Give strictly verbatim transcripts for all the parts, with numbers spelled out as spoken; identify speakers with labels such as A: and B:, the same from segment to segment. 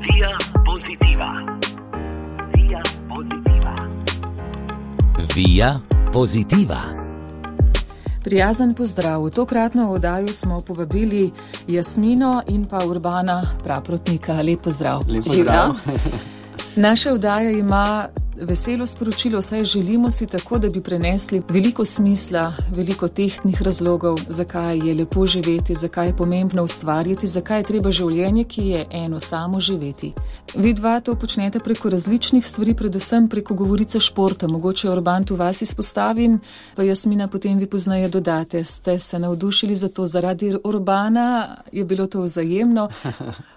A: Via Positiva. Via Positiva.
B: Via Positiva.
C: Prijazen pozdrav. V tokratno oddajo smo povabili Jasmino in pa Urbana Praprotnika. Lep pozdrav.
D: Lep pozdrav.
C: Naša oddaja ima veselo sporočilo, saj želimo si tako, da bi prenesli veliko smisla, veliko tehtnih razlogov, zakaj je lepo živeti, zakaj je pomembno ustvarjati, zakaj je treba življenje, ki je eno samo živeti. Vi dva to počnete preko različnih stvari, predvsem preko govorice športa. Mogoče Urban tu vas izpostavim, pa Jasmina potem vi poznaje dodate. Ste se navdušili za to zaradi Urbana, je bilo to vzajemno.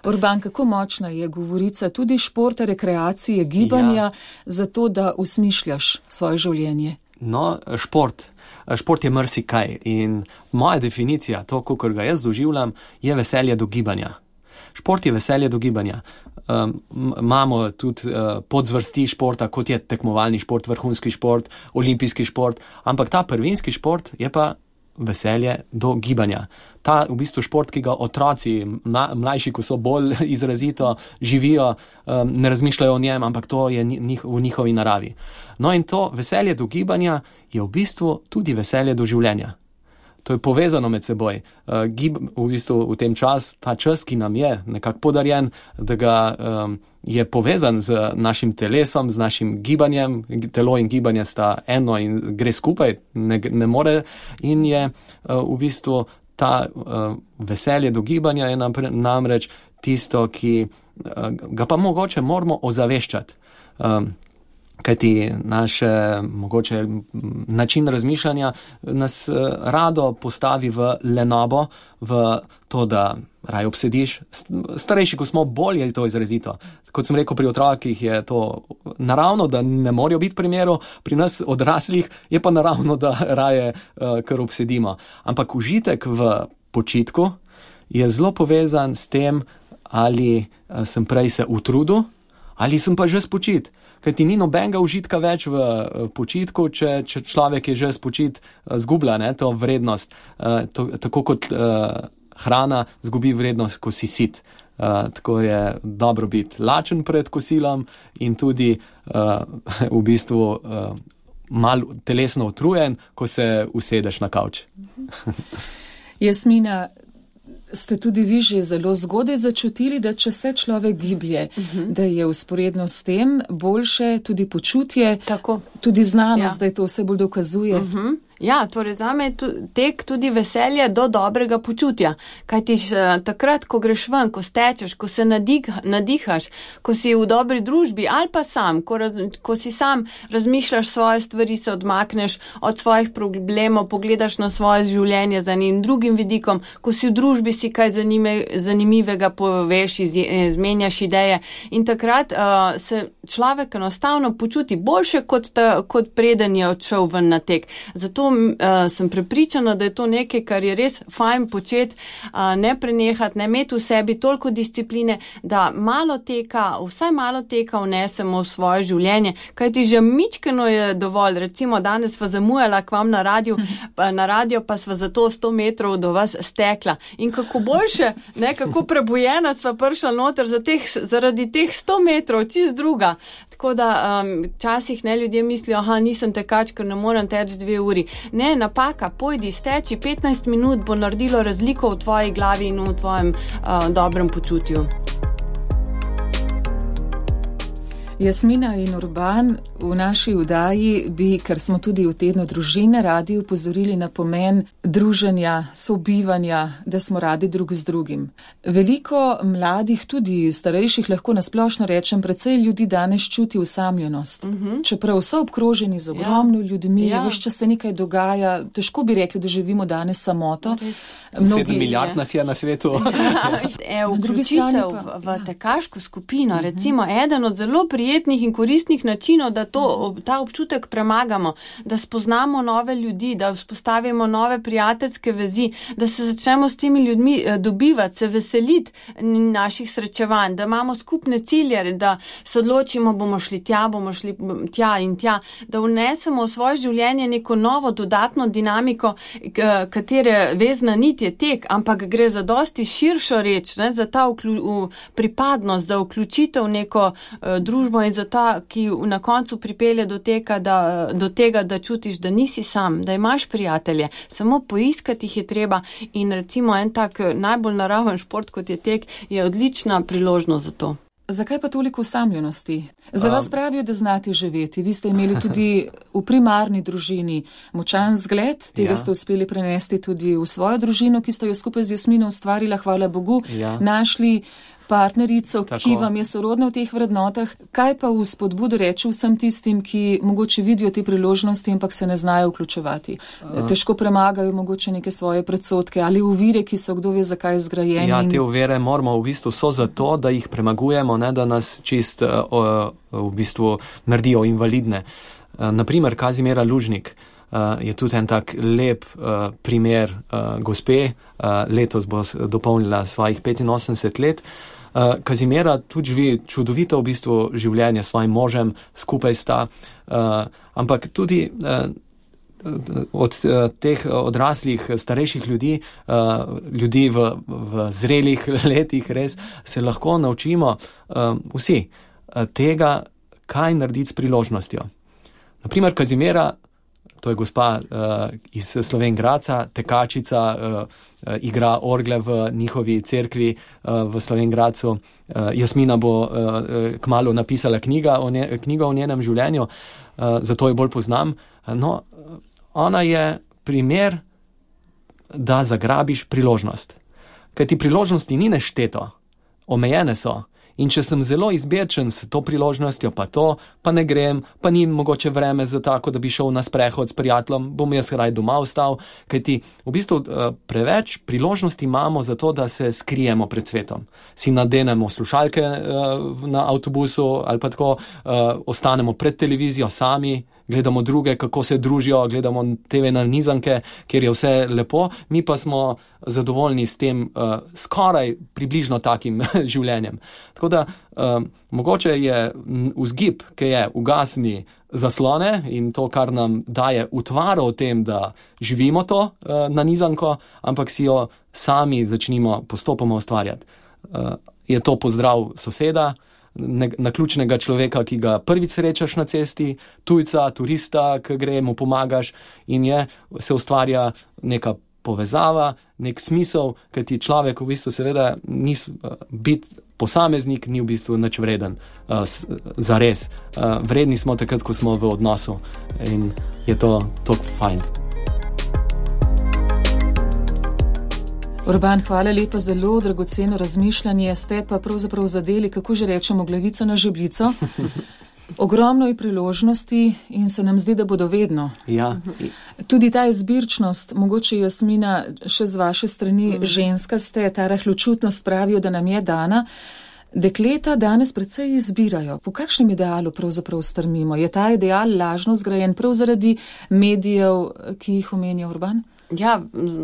C: Urban, kako močna je govorica tudi športa, rekreacije, gibanja, ja. Zato, da usmišljaš svoje življenje?
D: No, šport. Šport je marsikaj in moja definicija, to, kakor ga jaz doživljam, je veselje do gibanja. Šport je veselje do gibanja. Um, imamo tudi uh, podzvrsti športa, kot je tekmovalni šport, vrhunski šport, olimpijski šport, ampak ta prvinski šport je pa veselje do gibanja. Ta v bistvu šport, ki ga otroci, mlajši, ko so bolj izrazito živijo, um, ne razmišljajo o njem, ampak to je njih, v njihovi naravi. No in to veselje do gibanja je v bistvu tudi veselje do življenja. To je povezano med seboj. Uh, gib, v bistvu v tem čas, ta čas, ki nam je nekako podarjen, da ga um, je povezan z našim telesom, z našim gibanjem. Telo in gibanje sta eno in gre skupaj, ne, ne more. In je uh, v bistvu ta uh, veselje do gibanja je namreč tisto, ki uh, ga pa mogoče moramo ozaveščati. Um, Kajti naše mogoče način razmišljanja nas uh, rado postavi v lenobo, v to, da raj obsediš. Starejši, ko smo, bolj je to izrazito. Kot sem rekel, pri otrokih je to naravno, da ne morajo biti primerov, pri nas odraslih je pa naravno, da raje uh, kar obsedimo. Ampak užitek v počitku je zelo povezan s tem, ali uh, sem prej se utrudil, ali sem pa že spočit. Kaj ti ni nobenega užitka več v počitku, če, če človek je že spočit, zgublja ne, to vrednost. Uh, to, tako kot uh, hrana zgubi vrednost, ko si sit. Uh, tako je dobro biti lačen pred kosilom in tudi uh, v bistvu uh, malo telesno utrujen, ko se usedeš na kavč.
C: Jasmina, ste tudi vi že zelo zgodaj začutili, da če se človek giblje, uh-huh. da je vzporedno s tem boljše tudi počutje,
E: Tako.
C: tudi znanost,
E: Ja.
C: da je to vse bolj dokazuje.
E: Uh-huh. Ja, torej zame je tek tudi veselje do dobrega počutja. Kajti takrat, ko greš ven, ko stečeš, ko se nadig, nadihaš, ko si v dobri družbi ali pa sam, ko, raz, ko si sam razmišljaš svoje stvari, se odmakneš od svojih problemov, pogledaš na svoje življenje za njim drugim vidikom, ko si v družbi, si kaj zanime, zanimivega poveš, iz, izmenjaš ideje in takrat uh, se človek enostavno počuti boljše, kot, ta, kot preden je odšel ven na tek. Zato Uh, sem prepričana, da je to nekaj, kar je res fajn početi, uh, ne prenehati, ne imeti v sebi toliko discipline, da malo teka, vsaj malo teka vnesemo v svoje življenje, kajti že mičkeno je dovolj. Recimo danes sva zamujala k vam na radio, pa, na radio pa sva za to sto metrov do vas stekla. In kako boljše, ne, kako prebujena sva prišla noter za teh, zaradi teh sto metrov, čist druga. Tako da um, časih ne ljudje mislijo, aha, nisem tekač, ker ne morem teči dve uri. Ne, napaka, pojdi, steči, petnajst minut bo naredilo razliko v tvoji glavi in v tvojem uh, dobrem počutju.
C: Jasmina in Urban, v naši oddaji bi, ker smo tudi v tednu družine, radi upozorili na pomen druženja, sobivanja, da smo radi drug z drugim. Veliko mladih, tudi starejših, lahko nasplošno rečem, precej ljudi danes čuti osamljenost. Uh-huh. Čeprav so obkroženi z ogromno ja. ljudmi, ja. veš, če se nekaj dogaja, težko bi rekli, da živimo danes samoto.
D: Mnogi, Sedem milijard nas je na svetu.
E: e, vključitev v, v tekaško skupino, uh-huh. recimo eden od zelo prijetnih prijetnih in koristnih načinov, da to, ta občutek premagamo, da spoznamo nove ljudi, da vzpostavimo nove prijateljske vezi, da se začnemo s temi ljudmi dobivati, se veseliti naših srečevanj, da imamo skupne cilje, da se odločimo, bomo šli tja, bomo šli tja in tja, da vnesemo v svoje življenje neko novo dodatno dinamiko, katere vezna nit je tek, ampak gre za dosti širšo reč, ne, za ta vklju, pripadnost, za vključitev v neko uh, družbo in za ta, ki na koncu pripelje do tega, da, do tega, da čutiš, da nisi sam, da imaš prijatelje, samo poiskati jih je treba in recimo en tak najbolj naraven šport, kot je tek, je odlična priložnost za to.
C: Zakaj pa toliko osamljenosti? Za vas pravijo, da znate živeti. Vi ste imeli tudi v primarni družini močan zgled, tega ja. ste uspeli prenesti tudi v svojo družino, ki ste jo skupaj z Jasmino ustvarila, hvala Bogu, ja. našli partnerico, Tako. ki vam je sorodna v teh vrednotah. Kaj pa v spodbudu reči vsem tistim, ki mogoče vidijo te priložnosti, ampak se ne znajo vključevati? Uh. Težko premagajo mogoče neke svoje predsodke ali uvire, ki so kdo ve zakaj zgrajeni.
D: Ja, te uvire moramo v bistvu so zato, da jih premagujemo, ne da nas čist uh, uh, v bistvu naredijo invalidne. Uh, naprimer, Kazimira Lužnik uh, je tudi en tak lep uh, primer uh, gospe, uh, letos bo dopolnila svojih petinosemdeset let. Uh, Kazimira tudi živi čudovito v bistvu življenje s svojim možem, skupaj sta, uh, ampak tudi uh, od uh, teh odraslih, starejših ljudi, uh, ljudi v, v zrelih letih res se lahko naučimo uh, vsi uh, tega, kaj narediti s priložnostjo. Naprimer, Kazimira, to je gospa uh, iz Slovenj Gradca, tekačica, uh, uh, igra orgle v njihovi cerkvi uh, v Slovenj Gradcu. Uh, Jasmina bo uh, kmalu napisala knjiga o, nje, knjigo o njenem življenju, uh, zato jo bolj poznam. No, ona je primer, da zagrabiš priložnost. Ker ti priložnosti ni nešteto, omejene so. In če sem zelo izbirčen s to priložnostjo, pa to, pa ne grem, pa ni mogoče vreme za tako, da bi šel na sprehod s prijateljem, bom jaz raj doma ostal, kajti v bistvu preveč priložnosti imamo za to, da se skrijemo pred svetom. Si nadenemo slušalke na avtobusu ali pa tako, ostanemo pred televizijo sami, gledamo druge, kako se družijo, gledamo te ve nanizanke, kjer je vse lepo, mi pa smo zadovoljni s tem uh, skoraj približno takim življenjem. Tako da uh, mogoče je vzgib, ki je ugasni zaslone in to, kar nam daje utvaro o tem, da živimo to uh, nanizanko, ampak si jo sami začnimo postopoma ustvarjati. Uh, je to pozdrav soseda, naključnega človeka, ki ga prvič srečaš na cesti, tujca, turista, ki gre, mu pomagaš in je, se ustvarja neka povezava, nek smisel, ker ti človek v bistvu seveda ni biti posameznik, ni v bistvu nič vreden uh, za res. Uh, vredni smo takrat, ko smo v odnosu in je to tako fajn.
C: Urban, hvala lepa, zelo dragoceno razmišljanje, ste pa pravzaprav zadeli, kako že rečemo, glavico na žebljico. Ogromno je priložnosti in se nam zdi, da bodo vedno.
D: Ja.
C: Tudi ta izbirčnost, mogoče Jasmina, še z vaše strani mm. ženska ste, ta rahločutnost pravijo, da nam je dana. Dekleta danes predvsej izbirajo. Po kakšnem idealu pravzaprav strmimo? Je ta ideal lažno zgrajen prav zaradi medijev, ki jih omenja Urban?
E: Ja,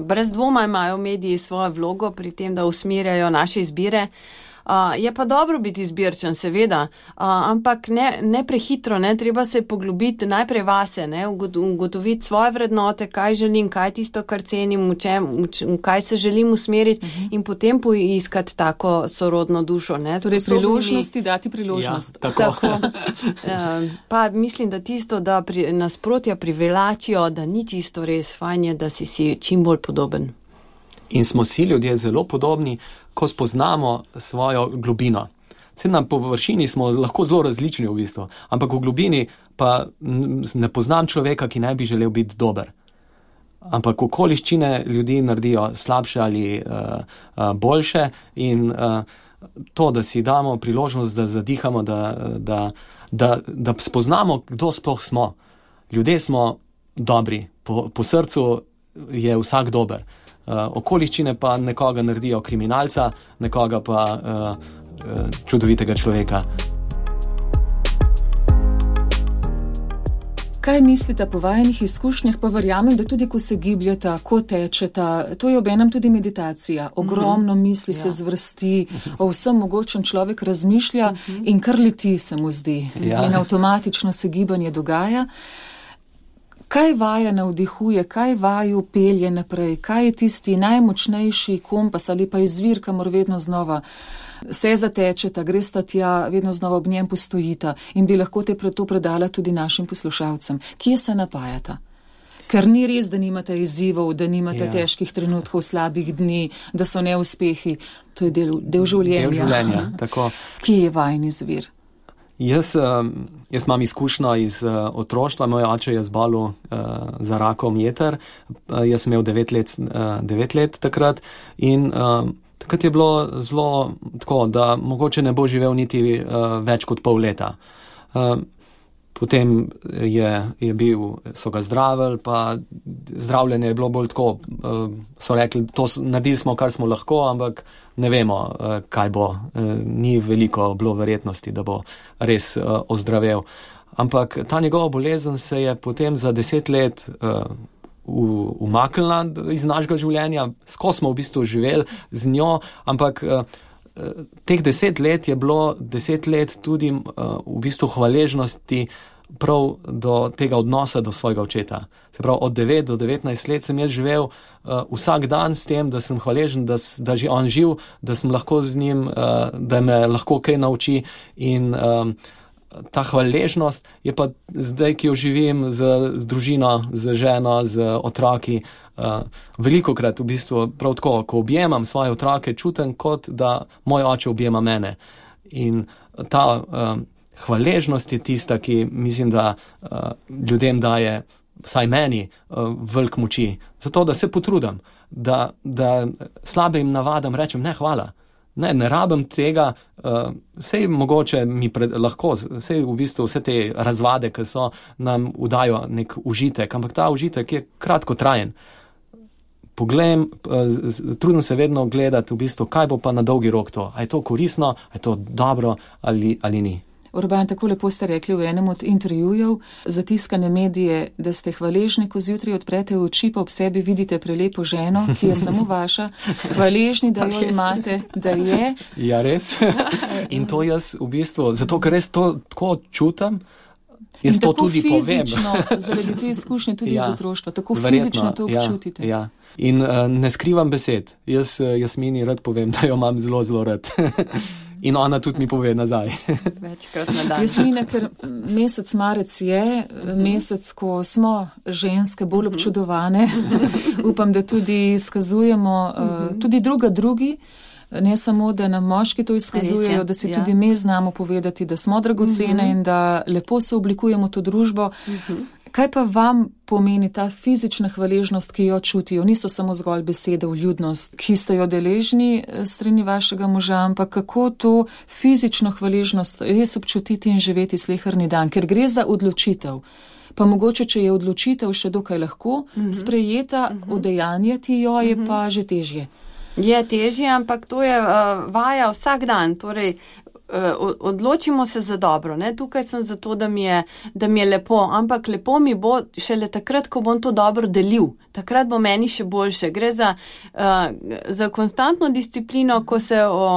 E: brez dvoma imajo mediji svojo vlogo pri tem, da usmerjajo naše izbire. Uh, je pa dobro biti izbirčen, seveda, uh, ampak ne, ne prehitro, ne, treba se poglobiti najprej vase, ne, ugotoviti svoje vrednote, kaj želim, kaj tisto, kar cenim, v čem, v čem, kaj se želim usmeriti uh-huh. in potem poiskati tako sorodno dušo. Ne,
C: torej priložnosti, dati priložnost.
D: Ja, tako.
E: tako. Uh, pa mislim, da tisto, da pri, nasprotja privlačijo, da ni čisto res, fajn je, da si si čim bolj podoben.
D: In smo si ljudje zelo podobni, ko spoznamo svojo globino. Saj na površini smo lahko zelo različni v bistvu, ampak v globini pa ne poznam človeka, ki ne bi želel biti dober. Ampak okoliščine ljudi naredijo slabše ali uh, uh, boljše in uh, to, da si damo priložnost, da zadihamo, da, da, da, da spoznamo, kdo sploh smo. Ljudje smo dobri, po, po srcu je vsak dober. Uh, okoliščine pa nekoga naredijo kriminalca, nekoga pa uh, uh, čudovitega človeka.
C: Kaj mislite po vajenih izkušnjah, pa verjamem, da tudi ko se gibljata, ko tečeta, to je obenem tudi meditacija. Ogromno misli
E: Ja.
C: se zvrsti, o vsem mogočem človek razmišlja in kar leti se mu zdi.
D: Ja.
C: In avtomatično se gibanje dogaja. Kaj vaja navdihuje, kaj vaju pelje naprej, kaj je tisti najmočnejši kompas ali pa izvir, kamor vedno znova se zatečeta, gresta tja, vedno znova ob njem postojita in bi lahko te to predala tudi našim poslušalcem. Kje se napajata? Ker ni res, da nimate izzivov, da nimate
D: Ja.
C: težkih trenutkov, slabih dni, da so neuspehi. To je del, del življenja.
D: Del življenja, tako.
C: Kje je vajen izvir?
D: Jaz, um, jaz imam izkušnjo iz uh, otroštva, moj oče je zbolel uh, za rakom jeter, uh, jaz sem imel devet let, uh, devet let takrat in uh, takrat je bilo zelo tako, da mogoče ne bo živel niti uh, več kot pol leta. Uh, Potem je, je bil, so ga zdravili, pa zdravljenje je bilo bolj tako, uh, so rekli, to naredili smo, kar smo lahko, ampak ne vemo, uh, kaj bo. Uh, ni veliko bilo verjetnosti, da bo res uh, ozdravel. Ampak ta njegova bolezen se je potem za deset let uh, umaknila iz našega življenja, skozi smo v bistvu živeli z njo, ampak uh, teh deset let je bilo deset let tudi uh, v bistvu hvaležnosti prav do tega odnosa do svojega očeta. Se pravi, od devet do devetnajst let sem jaz živel uh, vsak dan s tem, da sem hvaležen, da, da je on živ, da sem lahko z njim, uh, da me lahko kaj nauči in um, ta hvaležnost je pa zdaj, ki jo živim z, z družino, z ženo, z otroki, Uh, velikokrat v bistvu prav tako, ko objemam svoje otroke, čutim kot da moj oče objema mene. In ta uh, hvaležnost je tista, ki mislim, da uh, ljudem daje, vsaj meni, uh, velik moči. Zato, da se potrudim, da, da slabe jim navadam, rečem ne, hvala. Ne, ne rabim tega, uh, vsej mogoče mi pred, lahko, vsej v bistvu vse te razvade, ki so, nam udajo nek užitek, ampak ta užitek je kratkotrajen. Poglejam, trudim se vedno gledati v bistvu, kaj bo pa na dolgi rok to. A je to koristno, a je to dobro ali, ali ni.
C: Urban, tako lepo ste rekli v enem od intervjujev za tiskane medije, da ste hvaležni, ko zjutraj odprete oči, pa ob sebi vidite prelepo ženo, ki je samo vaša, hvaležni, da jo imate, da je.
D: Ja, res. In to jaz v bistvu, zato ker res to tako čutam, jaz
C: in
D: to
C: tako
D: tudi
C: fizično,
D: povem.
C: zaradi te izkušnje tudi
D: Ja,
C: iz otroštva, tako
D: verjetno,
C: fizično to občutite.
D: Ja, ja. In uh, ne skrivam besed. Jaz uh, Jasmini rad povem, da jo imam zelo, zelo rad. In ona tudi mi pove nazaj.
E: Večkrat na dan.
C: Jasmina, ker mesec marec je, mesec, ko smo ženske bolj občudovane, upam, da tudi izkazujemo, uh, tudi druga drugi, ne samo, da nam moški to izkazujejo, da si
E: ja.
C: tudi mi znamo povedati, da smo dragocene uh-huh. in da lepo se oblikujemo to družbo. Uh-huh. Kaj pa vam pomeni ta fizična hvaležnost, ki jo čutijo? Niso samo zgolj besede, vljudnost, ki ste jo deležni strani vašega moža, ampak kako to fizično hvaležnost res občutiti in živeti sleherni dan, ker gre za odločitev. Pa mogoče, če je odločitev še dokaj lahko uh-huh. sprejeta, uh-huh. udejanjati jo je uh-huh. pa že težje.
E: Je težje, ampak to je uh, vaja vsak dan, torej odločimo se za dobro, ne? Tukaj sem zato, da mi, je, da mi je lepo, ampak lepo mi bo šele takrat, ko bom to dobro delil. Takrat bo meni še boljše. Gre za, uh, za konstantno disciplino, ko se, o,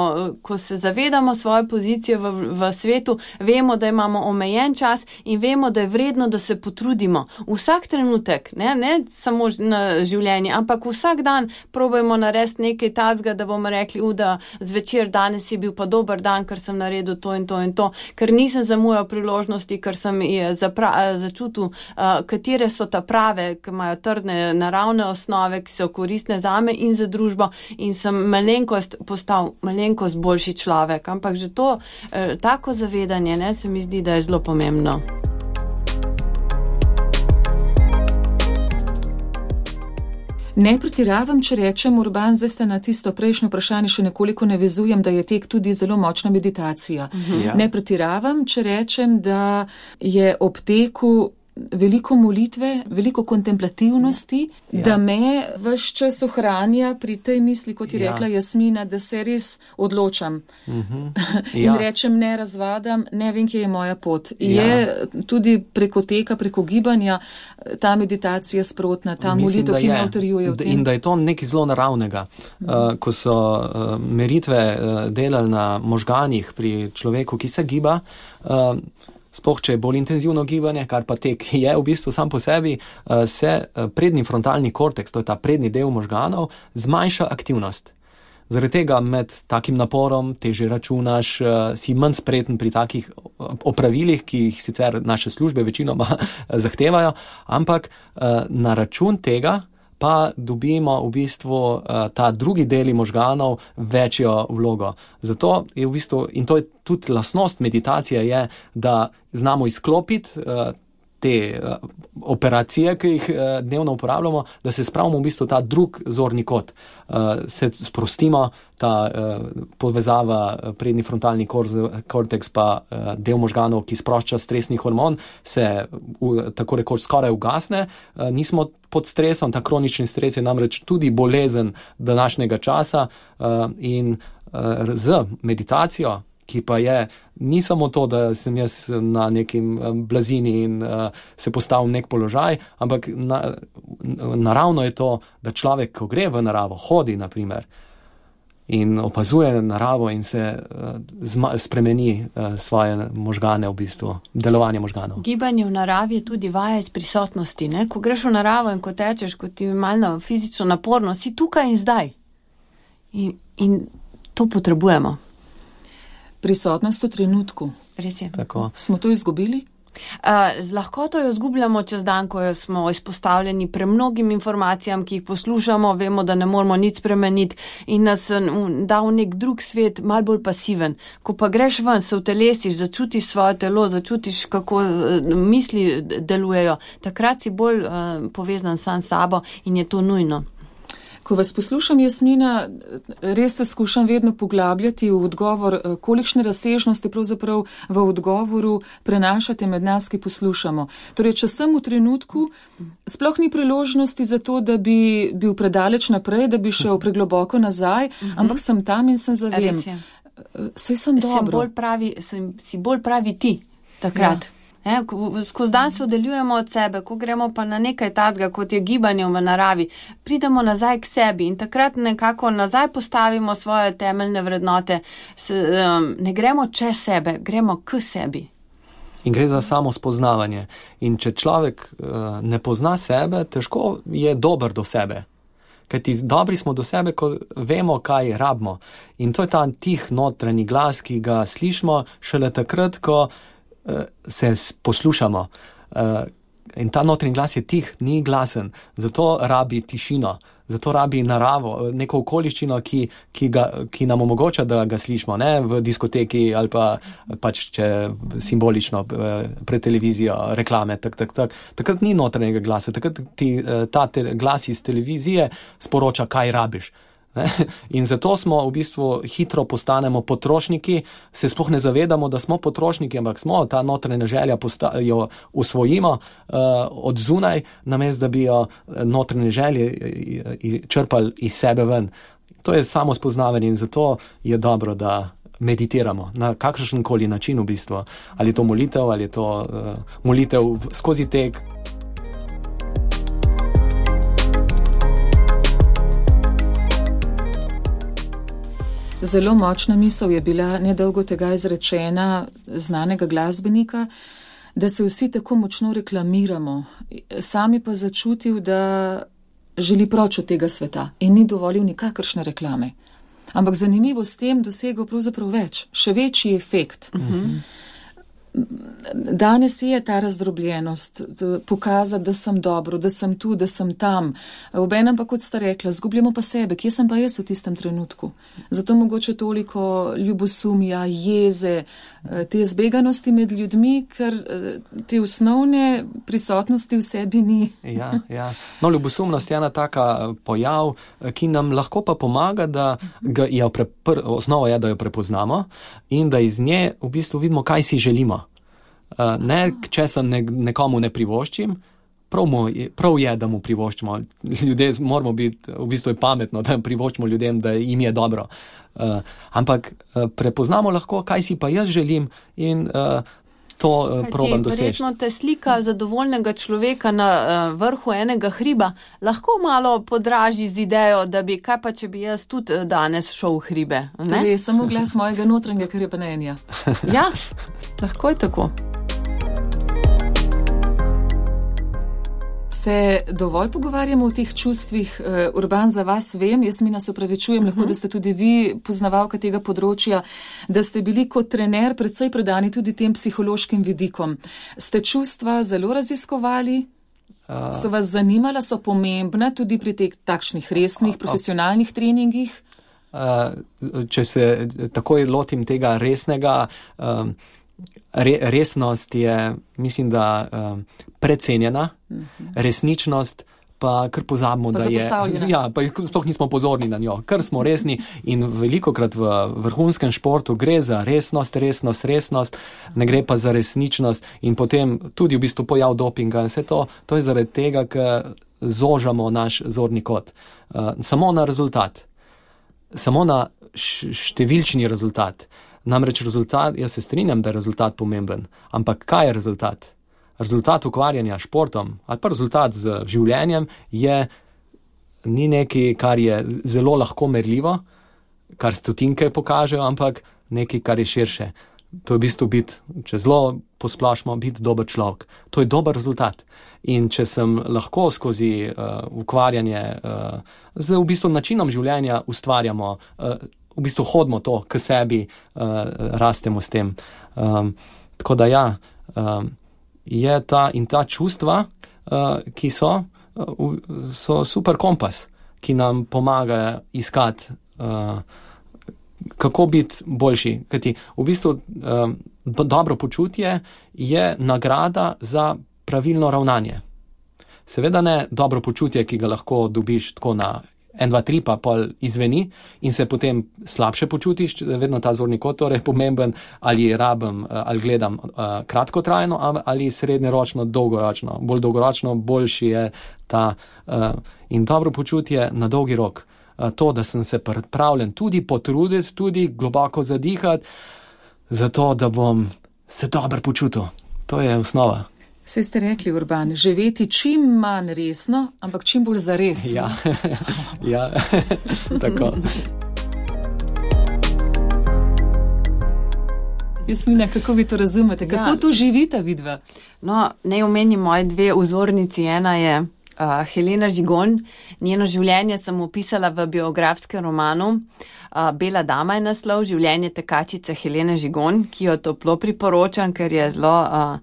E: ko se zavedamo svoje pozicije v, v svetu, vemo, da imamo omejen čas in vemo, da je vredno, da se potrudimo. Vsak trenutek, ne, ne samo na življenje, ampak vsak dan probajmo narediti nekaj tazga, da bomo rekli, u, da zvečer danes je bil pa dober dan, ker sem naredil to in to in to, ker nisem zamujal priložnosti, ker sem zapra, začutil, uh, katere so ta prave, ki imajo trdne naravne osnove, ki so koristne zame in za družbo in sem malenkost postal malenkost boljši človek. Ampak že to, uh, tako zavedanje, ne, se mi zdi, da je zelo pomembno.
C: Ne pretiravam, če rečem, Urban, zdaj ste na tisto prejšnje vprašanje še nekoliko navezujem, da je tek tudi zelo močna meditacija.
D: Ja.
C: Ne pretiravam, če rečem, da je ob teku veliko molitve, veliko kontemplativnosti,
D: Ja.
C: da me ves čas ohranja pri tej misli, kot je
D: Ja.
C: rekla Jasmina, da se res odločam.
D: Mhm.
C: In
D: Ja.
C: rečem, ne razvadam, ne vem, kje je moja pot.
D: Ja.
C: Je tudi preko teka, preko gibanja ta meditacija sprotna, ta
D: Mislim,
C: molitev,
D: da
C: ki
D: je.
C: me utrjuje v
D: D-
C: tem.
D: In da je to nekaj zelo naravnega. Uh, ko so uh, meritve uh, delali na možganih pri človeku, ki se giba, uh, sploh če je bolj intenzivno gibanje, kar pa tek je v bistvu sam po sebi, uh, se uh, prednji frontalni korteks, to je ta prednji del možganov, zmanjša aktivnost. Zaradi tega med takim naporom teže računaš, uh, si manj spreten pri takih opravilih, ki jih sicer naše službe večinoma zahtevajo, ampak uh, na račun tega pa dobimo v bistvu uh, ta drugi deli možganov večjo vlogo. Zato je v bistvu, in to je tudi lastnost meditacije, je, da znamo izklopiti uh, te uh, operacije, ki jih uh, dnevno uporabljamo, da se spravimo v bistvu ta drug zorni kot. Uh, se sprostimo, ta uh, povezava prednji frontalni korteks pa uh, del možganov, ki sprošča stresni hormon, se v, tako rekoč skoraj ugasne. Uh, nismo pod stresom, ta kronični stres je namreč tudi bolezen današnjega časa uh, in uh, z meditacijo, ki pa je, ni samo to, da sem jaz na nekim blazini in uh, se postavim v nek položaj, ampak na, naravno je to, da človek, ko gre v naravo, hodi naprimer in opazuje naravo in se uh, zma, spremeni uh, svoje možgane v bistvu, delovanje možganov.
E: Gibanje v naravi je tudi vaja iz prisotnosti, ne? Ko greš v naravo in ko tečeš, ko ti je malo fizično naporno, si tukaj in zdaj. In, in to potrebujemo.
C: Prisotnost v trenutku.
E: Res je.
D: Tako.
C: Smo to izgubili?
E: Uh, z lahkoto jo zgubljamo čez dan, ko jo smo izpostavljeni premnogim informacijam, ki jih poslušamo, vemo, da ne moramo nič spremeniti in nas um, da v nek drug svet, mal bolj pasiven. Ko pa greš ven, se utelesiš, začutiš svoje telo, začutiš, kako uh, misli delujejo, takrat si bolj uh, povezan sam s sabo in je to nujno.
C: Ko vas poslušam, Jasmina, res se skušam vedno poglabljati v odgovor, kolikšne razsežnosti pravzaprav v odgovoru prenašate med nas, ki poslušamo. Torej, če sem v trenutku, sploh ni priložnosti za to, da bi bil predaleč naprej, da bi šel pregloboko nazaj, ampak sem tam in sem zavem. Saj sem dobro.
E: Sem bolj pravi, sem, si bolj pravi ti takrat. Ja. E, skozi dan se oddaljujemo od sebe, ko gremo pa na nekaj tazga, kot je gibanje v naravi, pridemo nazaj k sebi in takrat nekako nazaj postavimo svoje temeljne vrednote. Se, um, ne gremo čez sebe, gremo k sebi.
D: In gre za samo spoznavanje. In če človek uh, ne pozna sebe, težko je dober do sebe. Kajti dobri smo do sebe, ko vemo, kaj rabimo. In to je ta tih notranji glas, ki ga slišimo šele takrat, ko se poslušamo. In ta notranji glas je tih, ni glasen, zato rabi tišino, zato rabi naravo, neko okoliščino, ki, ki, ga, ki nam omogoča, da ga slišimo, ne v diskoteki ali pa pač če simbolično pred televizijo, reklame, tak, tak, tak. Takrat ni notranjega glasa, takrat ti ta te, glas iz televizije sporoča, kaj rabiš. In zato smo v bistvu hitro postanemo potrošniki, se sploh ne zavedamo, da smo potrošniki, ampak smo, ta notranja želja posta, jo usvojimo uh, od zunaj, namesto da bi jo notranje želje črpali iz sebe ven. To je samo spoznavanje in zato je dobro, da meditiramo na kakršenkoli način v bistvu. Ali je to molitev, ali je to uh, molitev skozi tek.
C: Zelo močna misel je bila nedolgo tega izrečena znanega glasbenika, da se vsi tako močno reklamiramo. Sami pa začutil, da želi proč od tega sveta in ni dovolil nikakršne reklame. Ampak zanimivo s tem dosegel pravzaprav več, še večji efekt. Uh-huh. Danes je ta razdrobljenost, pokazati, da sem dobro, da sem tu, da sem tam. Obenem pa, kot sta rekla, zgubljamo pa sebe, kje sem pa jaz v tistem trenutku. Zato mogoče toliko ljubosumja, jeze, te zbeganosti med ljudmi, ker te osnovne prisotnosti v sebi ni.
D: Ja, ja. No, ljubosumnost je ena taka pojav, ki nam lahko pa pomaga, da ga jo prepr, osnova je, da jo prepoznamo in da iz nje v bistvu vidimo, kaj si želimo. Uh, ne, če se ne, nekomu ne privoščim, prav, mu, prav je, da mu privoščimo. Ljudje moramo biti, v bistvu je pametno, da privoščimo ljudem, da jim je dobro. Uh, ampak uh, prepoznamo lahko, kaj si pa jaz želim in uh, to uh, probam doseči.
E: Verjetno te slika zadovoljnega človeka na uh, vrhu enega hriba lahko malo podraži z idejo, da bi, kaj pa, če bi jaz tudi danes šel v hribe. Ne?
C: To je samo glas mojega notranjega krepenenja.
E: Ja, lahko je tako.
C: Se dovolj pogovarjamo o teh čustvih? Uh, Urban, za vas vem, jaz mi nas opravičujem, uh-huh. lahko, da ste tudi vi poznavalka tega področja, da ste bili kot trener predvsej predani tudi tem psihološkim vidikom. Ste čustva zelo raziskovali? Uh, so vas zanimala, so pomembna tudi pri teh takšnih resnih, uh, profesionalnih treningih?
D: Uh, če se takoj lotim tega resnega, um, re, resnost je, mislim, da um, precenjena, uh-huh. resničnost pa kar pozabimo,
C: pa
D: da je, ja, pa sploh nismo pozorni na njo, kar smo resni in velikokrat v vrhunskem športu gre za resnost, resnost, resnost, ne gre pa za resničnost in potem tudi v bistvu pojav dopinga, vse to, to je zaradi tega, ker zožamo naš zorni kot. Uh, samo na rezultat, samo na številčni rezultat. Namreč rezultat, jaz se strinjam, da je rezultat pomemben, ampak kaj je rezultat? Rezultat ukvarjanja športom ali pa rezultat z življenjem je ni nekaj, kar je zelo lahko merljivo, kar stotinke pokažejo, ampak nekaj, kar je širše. To je v bistvu biti, če zelo posplošimo, biti dober človek. To je dober rezultat. In če sem lahko skozi uh, ukvarjanje uh, z v bistvu načinom življenja ustvarjamo, uh, v bistvu hodimo to k sebi, uh, rastemo s tem. Um, tako da ja, um, je ta in ta čustva, uh, ki so, uh, so super kompas, ki nam pomaga iskati, uh, kako biti boljši. Kajti v bistvu um, dobro počutje je nagrada za pravilno ravnanje. Seveda ne dobro počutje, ki ga lahko dobiš tako na en, dva, tri, pa pol izveni in se potem slabše počutiš, vedno ta zorni kot torej pomemben, ali rabim, ali gledam uh, kratkotrajno, ali srednjeročno, dolgoročno. Bolj dolgoročno, boljši je ta uh, in dobro počutje na dolgi rok. Uh, to, da sem se pripravljen tudi potruditi, tudi globoko zadihati, zato, da bom se dobro počutil. To je osnova.
C: Saj ste rekli, Urban, živeti čim manj resno, ampak čim bolj zares.
D: Ja, ja. Tako.
C: Jasmina, kako vi to razumete? Kako ja. to živita vidva?
E: No, naj omenim moje dve vzornici. Ena je uh, Helena Žigon. Njeno življenje sem opisala v biografskem romanu. Uh, Bela dama je naslov, življenje tekačice Helene Žigon, ki jo toplo priporočam, ker je zelo uh,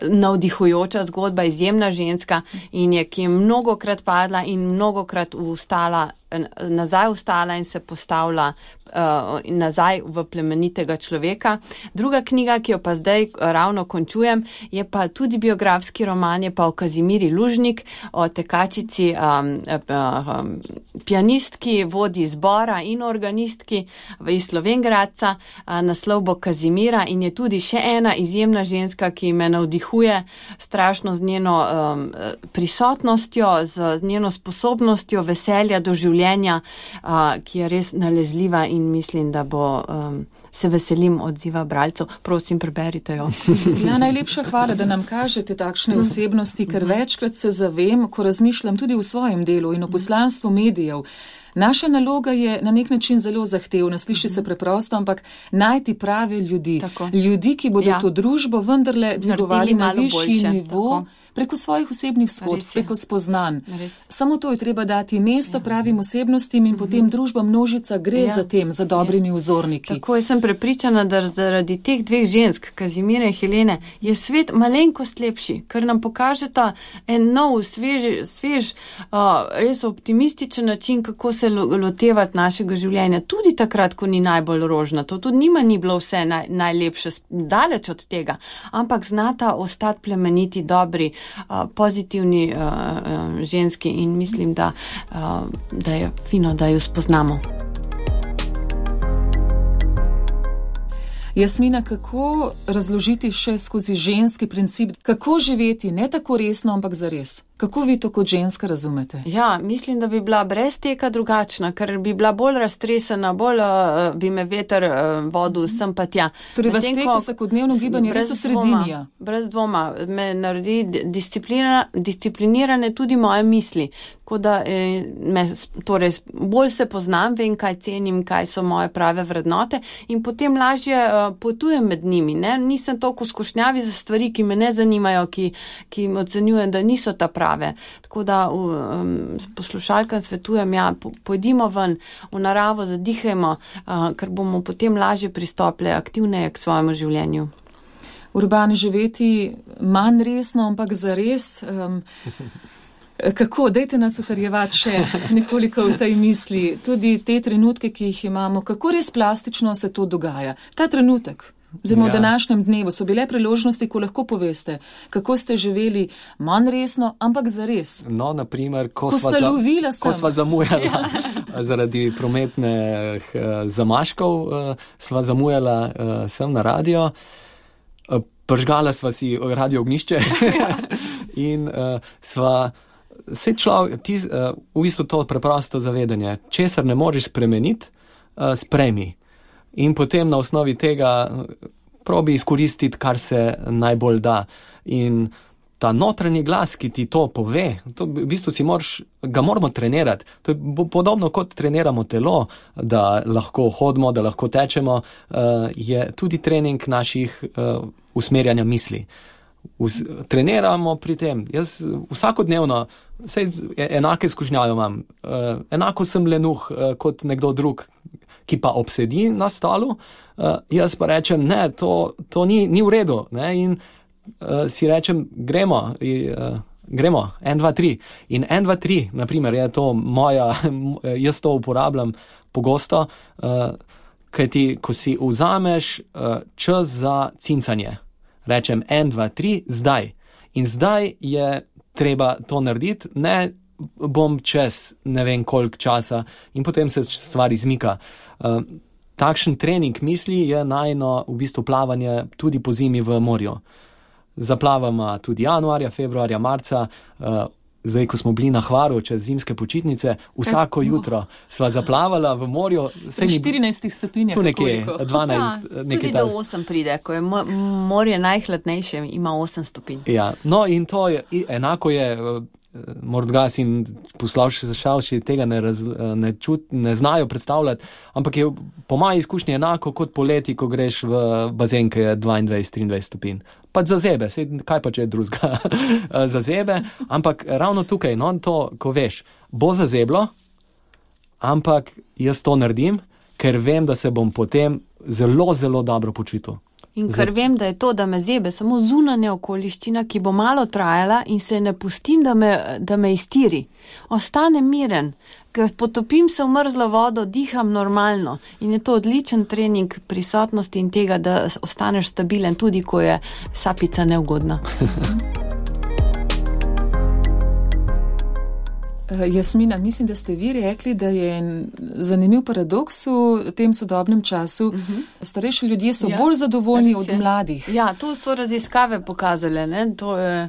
E: navdihujoča zgodba, izjemna ženska in je, ki je mnogokrat padla in mnogokrat ustala, nazaj ustala in se postavila uh, nazaj v plemenitega človeka. Druga knjiga, ki jo pa zdaj ravno končujem, je pa tudi biografski roman, je pa o Kazimiri Lužnik, o tekačici, um, um, pianistki, vodi zbora in organistki iz Slovenj Gradca. Uh, naslov bo Kazimira in je tudi še ena izjemna ženska, ki me navdihuje strašno z njeno um, prisotnostjo, z njeno sposobnostjo veselja do življenja, Uh, ki je res nalezljiva in mislim, da bo um, se veselim odziva bralcev. Prosim, preberite jo.
C: Ja, najlepša hvala, da nam kažete takšne osebnosti, ker večkrat se zavem, ko razmišljam tudi v svojem delu in o poslanstvu medijev. Naša naloga je na nek način zelo zahtevna, sliši se preprosto, ampak najti prave ljudi. Tako. Ljudi, ki bodo ja. to družbo vendarle dvigovali na višji nivo, tako. Preko svojih osebnih zgodb, preko spoznanj. Samo to je treba dati mesto ja. pravim osebnostim in potem družba množica gre ja. za tem, za dobrimi ja. vzorniki.
E: Tako, jaz sem prepričana, da zaradi teh dveh žensk, Kazimire in Helene, je svet malenkost lepši, ker nam pokažeta en nov, svež, svež uh, res optimističen način, kako se lotevati našega življenja. Tudi takrat, ko ni najbolj rožnato. Tudi njima ni bilo vse naj, najlepše, daleč od tega. Ampak znata ostati plemeniti, dobri, Uh, pozitivni uh, uh, ženski in mislim, da, uh, da je fino, da jo spoznamo.
C: Jasmina, kako razložiti še skozi ženski princip, kako živeti ne tako resno, ampak zares? Kako vi to kot ženska razumete?
E: Ja, mislim, da bi bila brez teka drugačna, ker bi bila bolj raztresena, bolj uh, bi me veter uh, vodil sem pa tja.
C: Torej vas tek vsakodnevno gibanje res osredinja?
E: Brez dvoma. Me naredi disciplina, disciplinirane tudi moje misli. Tako da eh, me, torej, bolj se poznam, vem, kaj cenim, kaj so moje prave vrednote in potem lažje uh, potujem med njimi. Ne? Nisem toliko skušnjavi za stvari, ki me ne zanimajo, ki, ki ocenjujem, da niso ta prave. Tako da um, poslušalkam svetujem, ja, pojdimo ven v naravo, zadihajmo, uh, ker bomo potem lažje pristopili aktivneje k svojemu življenju.
C: Urban živeti manj resno, ampak zares. Um, kako? Dajte nas utrjevati še nekoliko v tej misli. Tudi te trenutke, ki jih imamo, kako res plastično se to dogaja. Ta trenutek. Oziroma v današnjem dnevu so bile priložnosti, ko lahko poveste, kako ste živeli manj resno, ampak zares.
D: No, naprimer, ko,
C: ko
D: sva, za, ko sva zamujala ja. zaradi prometnih uh, zamaškov, uh, sva zamujala uh, sem na radio, uh, pržgala sva si radio ognišče in uh, sva se človek, ti, uh, v bistvu to preprosto zavedanje, česar ne moreš spremeniti, uh, sprejmi. In potem na osnovi tega probi izkoristiti, kar se najbolj da. In ta notranji glas, ki ti to pove, to v bistvu si moraš, ga moramo trenirati. To je podobno, kot treniramo telo, da lahko hodimo, da lahko tečemo, je tudi trening naših usmerjanja misli. Us, treniramo pri tem. Jaz vsakodnevno enake skušnjave imam. Enako sem lenuh kot nekdo drug, ki pa obsedi na stolu, uh, jaz pa rečem, ne, to, to ni, ni v redu. Ne? In uh, si rečem, gremo, uh, gremo, en, dva, tri. In en, dva, tri, naprimer, je to moja, jaz to uporabljam pogosto, uh, kajti, ko si vzameš uh, čas za cincanje, rečem en, dva, tri, zdaj. In zdaj je treba to narediti, ne bom čez ne vem koliko časa in potem se stvar izmika. Uh, takšen trening misli je najno v bistvu plavanje tudi po zimi v morju. Zaplavamo tudi januarja, februarja, marca, uh, zdaj, ko smo bili na Hvaru čez zimske počitnice, vsako jutro sva zaplavala v morju.
C: Pri štirinajstih stopinjah.
D: Tu nekje, dvanajst.
E: Ja, tudi do osem pride, ko je morje najhladnejše, ima osem stopinj.
D: Ja, no in to je, enako je, morda si poslušalci tega ne, raz, ne, čut, ne znajo predstavljati, ampak je po moji izkušnji enako kot poleti, ko greš v bazen, ki je dvaindvajset triindvajset stopinj. Pa za zebe, sej, kaj pa če je drugega za zebe, ampak ravno tukaj, no, to, ko veš, bo za zeblo, ampak jaz to naredim, ker vem, da se bom potem zelo, zelo dobro počutil.
E: In ker vem, da je to, da me zebe samo zunanja okoliščina, ki bo malo trajala in se ne pustim, da me, da me iztiri. Ostanem miren, ker potopim se v mrzlo vodo, diham normalno in je to odličen trening prisotnosti in tega, da ostaneš stabilen, tudi ko je sapica neugodna.
C: Jasmina, mislim, da ste vi rekli, da je zanimiv paradoks v tem sodobnem času. Uh-huh. Starejši ljudje so ja, bolj zadovoljni od mladih.
E: Ja, to so raziskave pokazale. Ne? To je,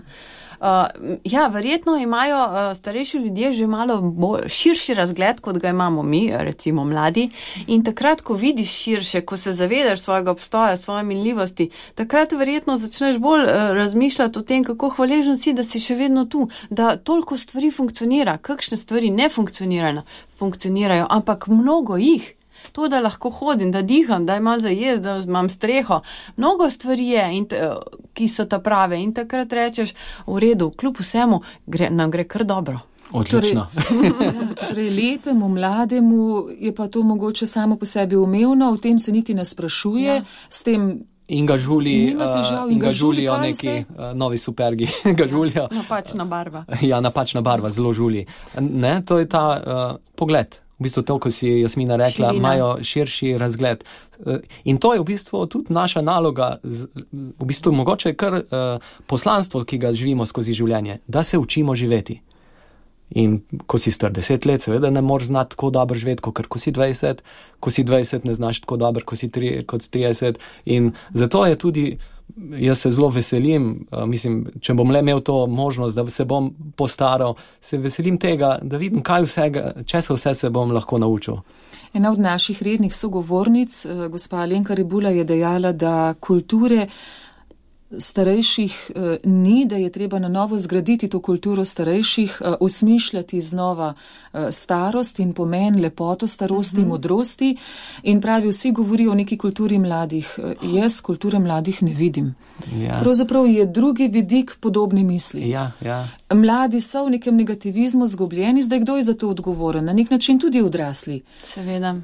E: uh, ja, verjetno imajo uh, starejši ljudje že malo bolj, širši razgled, kot ga imamo mi, recimo mladi. In takrat, ko vidiš širše, ko se zavedaš svojega obstoja, svoje minljivosti, takrat verjetno začneš bolj uh, razmišljati o tem, kako hvaležen si, da si še vedno tu, da toliko stvari funkcionira, kakšne stvari ne funkcionirajo, funkcionirajo, ampak mnogo jih. To, da lahko hodim, da diham, da imam za jesti, da imam streho. Mnogo stvari je, in t, ki so ta prave. In takrat rečeš, v redu, kljub vsemu, gre, nam gre kar dobro.
D: Odlično.
C: Torej, torej, lepemu, mlademu je pa to mogoče samo po sebi umevno, v tem se niti ne sprašuje, ja. S tem
D: in ga žuli,
C: težav,
D: uh, in ga žulijo neki uh, novi supergi, ga žulijo.
E: Napačna barva.
D: Ja, napačna barva, zelo žuli. Ne, to je ta uh, pogled. V bistvu to, ko si Jasmina rekla, imajo širši razgled. In to je v bistvu tudi naša naloga, v bistvu mogoče kar uh, poslanstvo, ki ga živimo skozi življenje, da se učimo živeti. In ko si star deset let, seveda ne moreš znati tako dobro živeti, kot ko si dvajset, ko si dvajset ne znaš tako dobro, ko si tri, kot trideset. In zato je tudi, jaz se zelo veselim, uh, mislim, če bom le imel to možnost, da se bom postaral, se veselim tega, da vidim, kaj vsega, česa vse se bom lahko naučil.
C: Ena od naših rednih sogovornic, gospa Alenka Rebula, je dejala, da kulture starejših eh, ni, da je treba na novo zgraditi to kulturo starejših, eh, osmišljati znova eh, starost in pomen, lepoto starosti, uh-huh. modrosti. In pravi, vsi govorijo o neki kulturi mladih. Eh, jaz kulture mladih ne vidim.
D: Ja.
C: Pravzaprav je drugi vidik podobni misli.
D: Ja, ja.
C: Mladi so v nekem negativizmu zgubljeni, zdaj kdo je za to odgovoren? Na nek način tudi odrasli.
E: Seveda.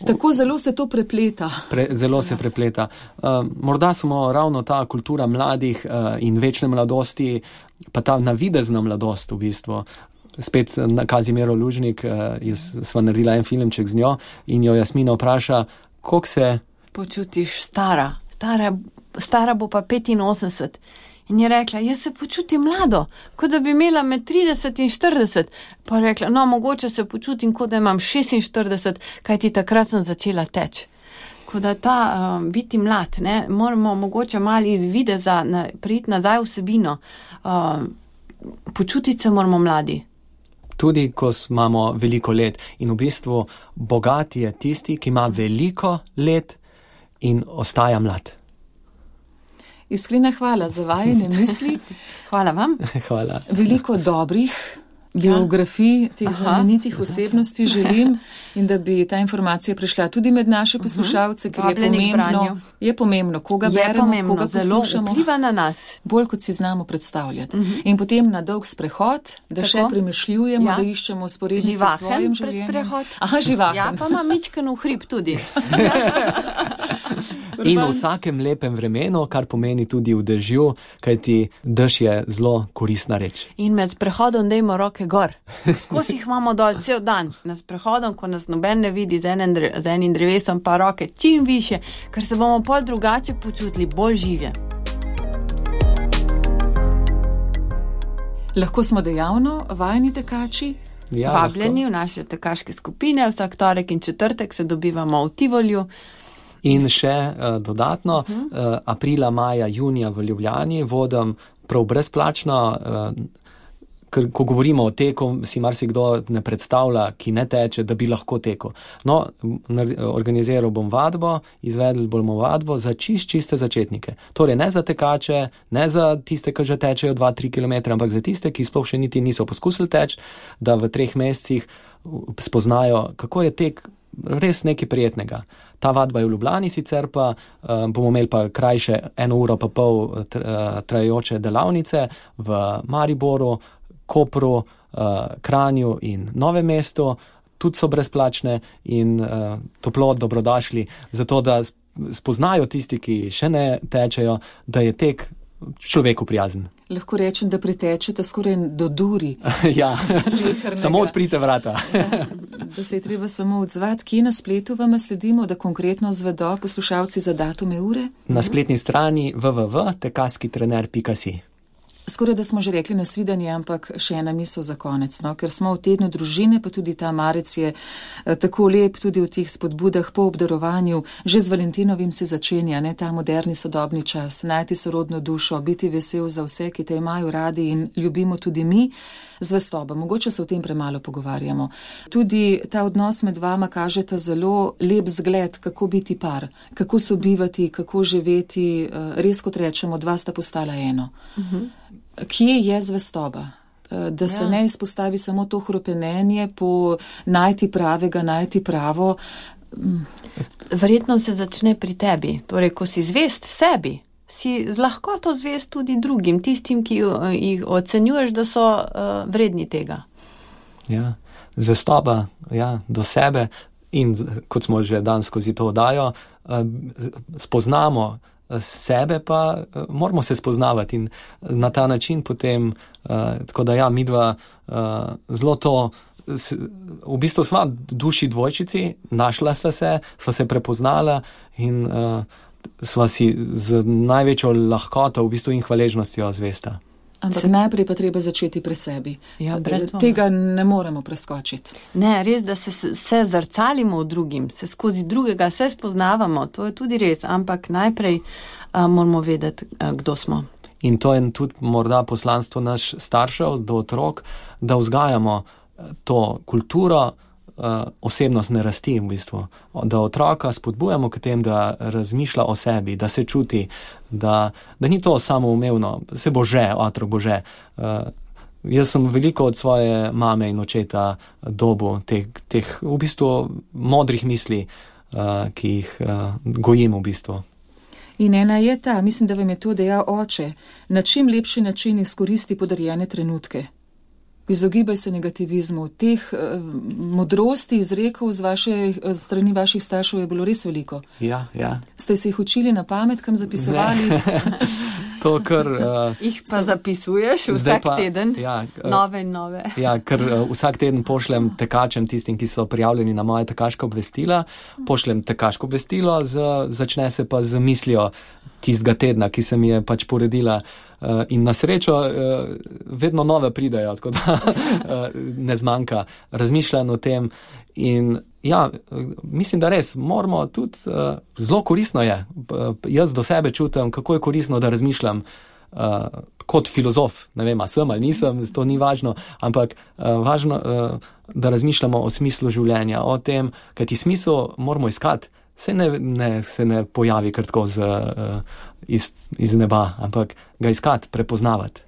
C: Tako zelo se to prepleta.
D: Pre, zelo se prepleta. Uh, morda smo ravno ta kultura mladih uh, in večne mladosti, pa ta navidezna mladost v bistvu. Spet Kazimiro Lužnik, uh, jaz sva naredila en filmček z njo in jo Jasmina vpraša, koliko se
E: počutiš stara? Stara, stara bo pa petinosemdeset. In je rekla, jaz se počutim mlado, kot da bi imela med trideset in štirideset. Pa je rekla, no, mogoče se počutim, kot da imam šestinštirideset, kajti takrat sem začela teči. Kot da ta um, biti mlad, ne, moramo mogoče malo iz videza na, priti nazaj v vsebino. Um, počutiti se moramo mladi.
D: Tudi, ko imamo veliko let. In v bistvu bogat je tisti, ki ima veliko let in ostaja mlad.
C: Iskrena hvala za vajine misli.
E: Hvala vam.
D: Hvala.
C: Veliko dobrih biografij teh znamenitih osebnosti želim in da bi ta informacija prišla tudi med naše poslušalce, ker je pomembno, je pomembno, koga
E: je
C: beremo,
E: pomembno,
C: koga poslušamo.
E: Zelo vpliva na nas.
C: Bolj, kot si znamo predstavljati. Uh-huh. In potem na dolg sprehod, da Tako? še premišljujemo, ja. da iščemo sporednice s svojim življenjem.
E: Sprehod.
C: Aha, živahen.
E: Ja, pa ima mičken v hrib tudi.
D: In v vsakem lepem vremenu, kar pomeni tudi v dežju, kajti dež je zelo koristna reč.
E: In med sprehodom dajmo roke gor. Skozi jih imamo dol cel dan. Med sprehodom, ko nas noben ne vidi z enim, z enim drevesom, pa roke čim više, ker se bomo pol drugače počutili, bolj živje.
C: Lahko smo dejavno vajni tekači?
E: Ja, vabljeni lahko v naše tekaške skupine, vsak torek in četrtek se dobivamo v Tivolju.
D: In še uh, dodatno, uh-huh. uh, aprila, maja, junija v Ljubljani vodim prav brezplačno, uh, ker ko govorimo o teku, si marsikdo ne predstavlja, ki ne teče, da bi lahko tekel. No, organiziral bom vadbo, izvedli bomo vadbo za čist, čiste začetnike. Torej ne za tekače, ne za tiste, ki že tečejo dva tri kilometre, ampak za tiste, ki sploh še niti niso poskusili teči, da v treh mesecih spoznajo, kako je tek res nekaj prijetnega. Ta vadba je v Ljubljani, sicer pa uh, bomo imeli pa krajše eno uro pa pol tr, uh, trajajoče delavnice v Mariboru, Kopru, uh, Kranju in Novem mestu. Tudi so brezplačne in uh, toplo dobrodošli, zato da spoznajo tisti, ki še ne tečejo, da je tek človeku prijazen.
C: Lahko rečem, da pretečete skoraj do duri.
D: Ja, samo odprite vrata.
C: Ja, da se je treba samo odzvati. Kje na spletu vam sledimo, da konkretno zvedo poslušalci za datume ure?
D: Na spletni strani w w w pika tekaskitrener pika si.
C: Skoraj da smo že rekli nasvidenje, ampak še ena misel za konec, no? Ker smo v tednu družine, pa tudi ta marec je eh, tako lep, tudi v teh spodbudah po obdarovanju, že z Valentinovim se začenja, ne, ta moderni sodobni čas, najti sorodno dušo, biti vesel za vse, ki te imajo radi in ljubimo tudi mi, zvestoba. Mogoče se o tem premalo pogovarjamo. Tudi ta odnos med vama kaže ta zelo lep zgled, kako biti par, kako sobivati, kako živeti, eh, res kot rečemo, dva sta postala eno. Uh-huh. Kje je zvestoba? Da se ja. ne izpostavi samo to hropenenje po najti pravega, najti pravo.
E: Verjetno se začne pri tebi. Torej, ko si zvest sebi, si z lahkoto zvest tudi drugim, tistim, ki jih ocenjuješ, da so uh, vredni tega.
D: Ja, zvestoba, ja, do sebe in kot smo že dan skozi to oddajo, uh, spoznamo sebe, pa uh, moramo se spoznavati in na ta način potem, uh, tako da ja, midva uh, zelo to, s, v bistvu sva duši dvojčici, našla sva se, sva se prepoznala in uh, sva si z največjo lahkoto v bistvu in hvaležnostjo zvesta.
C: Ampak se... najprej pa treba začeti pri sebi.
E: Ja, brez dvoma.
C: Tega ne moremo preskočiti.
E: Ne, res, da se, se zrcalimo v drugim, se skozi drugega, se spoznavamo, to je tudi res, ampak najprej a, moramo vedeti, a, kdo smo.
D: In to je tudi morda poslanstvo naš staršev do otrok, da vzgajamo to kulturo, osebnost ne rasti v bistvu. Da otroka spodbujamo k tem, da razmišlja o sebi, da se čuti, da, da ni to samoumevno, se bo že, otrok bo že. Uh, jaz sem veliko od svoje mame in očeta dobu teh, teh v bistvu modrih misli, uh, ki jih uh, gojim v bistvu.
C: In ena je ta, mislim, da vam je to dejal oče, na čim lepši način izkoristi podarjene trenutke. Izogibaj se negativizmu. Teh uh, modrosti izrekov z vaše strani vaših staršev je bilo res veliko.
D: Ja, ja.
C: Ste se jih učili na pamet, kam zapisovali?
D: To, kar... Uh,
E: jih pa zapisuješ vsak pa, teden, ja, uh, nove in nove.
D: Ja, ker uh, vsak teden pošljem tekačem, tistim, ki so prijavljeni na moje tekaška obvestila, pošljem tekaško obvestilo, z, začne se pa z mislijo tistega tedna, ki se mi je pač poredila. Uh, in na srečo uh, vedno nove pridejo, tako da uh, ne zmanjka razmišljanja o tem. In ja, mislim, da res moramo tudi, uh, zelo koristno je, uh, jaz do sebe čutim, kako je koristno, da razmišljam uh, kot filozof, ne vem, a sem ali nisem, to ni važno, ampak uh, važno, uh, da razmišljamo o smislu življenja, o tem, kajti smisel moramo iskati. Se ne, ne, se ne pojavi kar tako z, uh, iz, iz neba, ampak ga iskati, prepoznavati.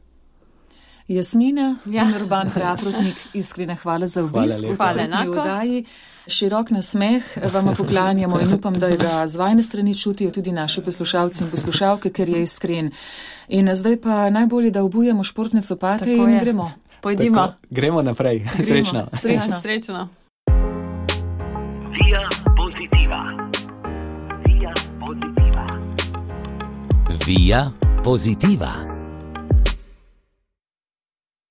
C: Jasmina, ja. In Urban Praprotnik, iskrena hvala za obisk v tokratni oddaji. Širok nasmeh vam poklanjamo in upam, da ga z vajne strani čutijo tudi naši poslušalci in poslušalke, ker je iskren. In zdaj pa najbolje, da obujemo športne copate in gremo.
E: Pojdimo.
D: Tako, gremo naprej. Srečno.
C: Srečno.
E: Ja, srečno.
A: Via Positiva. Via Positiva.
B: Via Positiva.